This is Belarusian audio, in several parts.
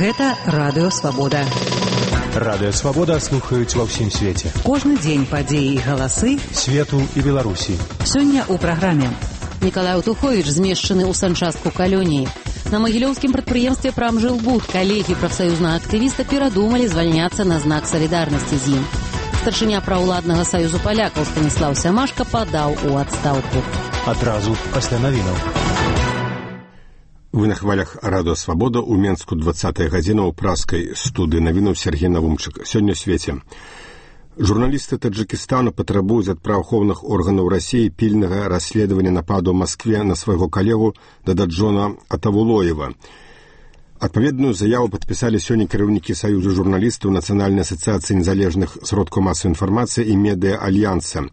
Гэта Радыё Свабода. Радыё Свабода слухаюць ва ўсім свеце. Кожны дзень падзеі і галасы свету і Беларусі. Сёння ў праграме. Николай Утухович змешчаны ў санчастку калоніі. На магілёўскім прадпрыемстве «Прамжилбуд» калегі прафсаюзнага актывіста перадумалі звальняцца на знак салідарнасці з ім. Старшыня праўладнага саюзу палякаў Станіслаў Сямашка падаў у адстаўку. Адразу пасля навінаў. Вы на хвалях Радыё Свабода ў Менску 20 гадзіна ў праскай студыі навінаў Сергей Навумчык. Сёння ў свеце. Журналісты Таджикистану патрабуюць ад праваахоўных органаў Расіі пільнага расследавання нападу ў Маскве на свайго калегу Дададжона Атавулоева. Адпаведную заяву падпісалі сёння кіраўнікі Саюзу журналістаў Нацыянальнай асацыяцыі незалежных сродкаў масавай інфармацыі і медыа-альянса.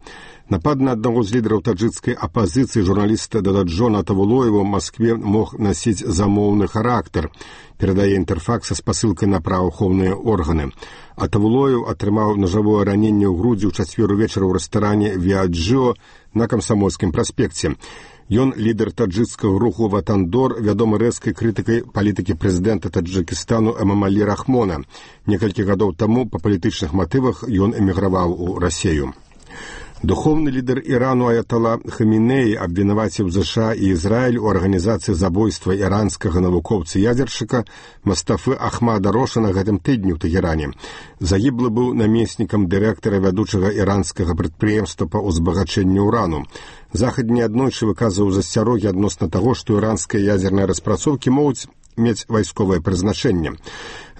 Напад на аднаго з лідараў таджикскай апазіцыі журналіста Дададжона Атавулоева ў Маскве мог насіць замоўны характар, перадае Інтэрфакс са спасылкай на праваахоўныя органы. Атавулоев атрымаў нажавое раненне ў грудзі ў чацвер увечара ў рэстаране «Виаджио» на Камсамольскім праспекце. Ён лідар таджикскага руху «Ватандор», вядомы рэзкай крытыкай палітыкі прэзідэнта Таджикистану Эмамалі Рахмона. Некалькі гадоў таму па палітычных матывах ён эміграваў у Расію. Духовны лідар Ірану Аятала Хамінеі абвінаваціў ЗША і Ізраіль у арганізацыі забойства іранскага навукоўца-ядзершчыка Мастафы Ахмада Роша на гэтым тыдні ў Тэгеране. Загіблы быў намеснікам дырэктара вядучага іранскага прадпрыемства па ўзбагачэнню ўрану. Захад неаднойчы выказваў засцярогі адносна таго, што іранскія ядзерныя распрацоўкі могуць мець вайсковае прызначэнне.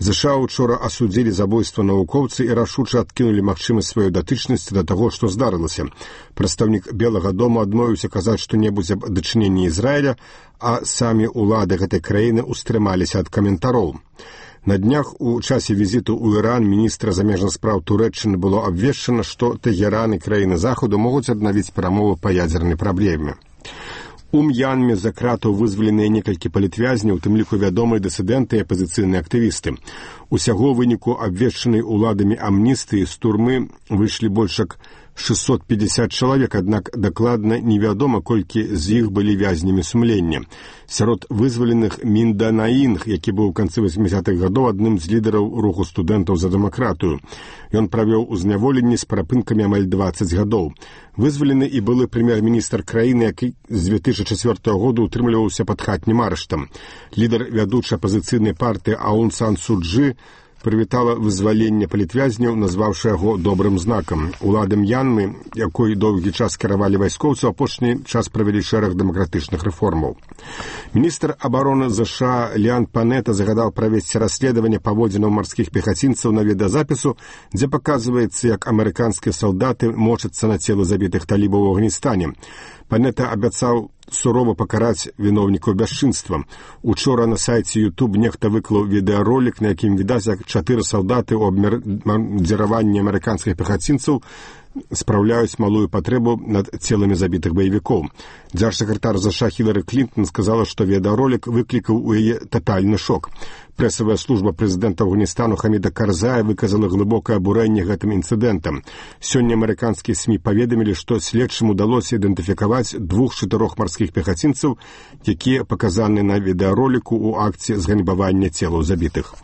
ЗША учора асудзілі забойства навукоўцы і рашуча адкінулі магчымасць сваёй датычнасці да таго, што здарылася. Прадстаўнік Белага дома адмовіўся казаць што-небудзь аб дачыненні Ізраіля, а самі ўлады гэтай краіны устрымаліся ад каментароў. На днях у часе візіту ў Іран міністра замежных спраў Турэччыны было абвешчана, што Тэгеран і краіны Захаду могуць аднавіць перамовы па ядзернай праблеме. У М'янме з-за кратаў вызваленыя некалькі палітвязняў, у тым ліку вядомыя дысідэнты і апазіцыйныя актывісты. Усяго выніку абвешчанай уладамі амністыі з турмы выйшлі больш як 650 чалавек, аднак дакладна невядома, колькі з іх былі вязнямі сумлення. Сярод вызваленых Минданаінг, які быў у канцы 80-х гадоў адным з лідараў руху студэнтаў за дэмакратыю. Ён правёў у зняволенні з перапынкамі амаль 20 гадоў. Вызвалены і былы прэм'ер-міністр краіны, які з 2004 года утрымліваўся пад хатнім арыштам. Лідар вядучай апазіцыйнай партыі Аун Сан Су Чжы прывітала вызваленне палітвязняў, назваўшы яго добрым знакам. Улады М'янмы, якой доўгі час кіравалі вайскоўцы, апошні час правялі шэраг дэмакратычных рэформаў. Міністр абароны ЗША Ліан Панета загадаў правесці расследаванне паводзінаў марскіх пехацінцаў на відэазапісу, дзе паказваецца, як амерыканскія салдаты мочацца на целы забітых талібаў у Афганістане. Панета абяцаў сурова пакараць віноўнікаў бясчынства. Учора на сайце YouTube нехта выклаў відэаролік, на якім відаць, як 4 салдаты ў абмердзіраванні амерыканскіх пехацінцаў спраўляюць малую патрэбу над целамі забітых баевікоў. Дзяржсакратар ЗША Хілары Клінтон сказала, што відэаролік выклікаў у яе татальны шок. Прэсавая служба прэзідэнта Афганістану Хаміда Карзая выказала глыбокае абурэнне гэтым інцыдэнтам. Сёння амерыканскія СМІ паведамілі, што следчым удалося ідэнтыфікаваць 2-4 марскіх пехацінцаў, якія паказаны на відэароліку ў акце зганьбавання целаў забітых.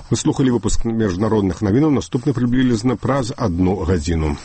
Вы слухали выпуск міжнародных навінаў, наступны прыблізна праз 1 гадзіну.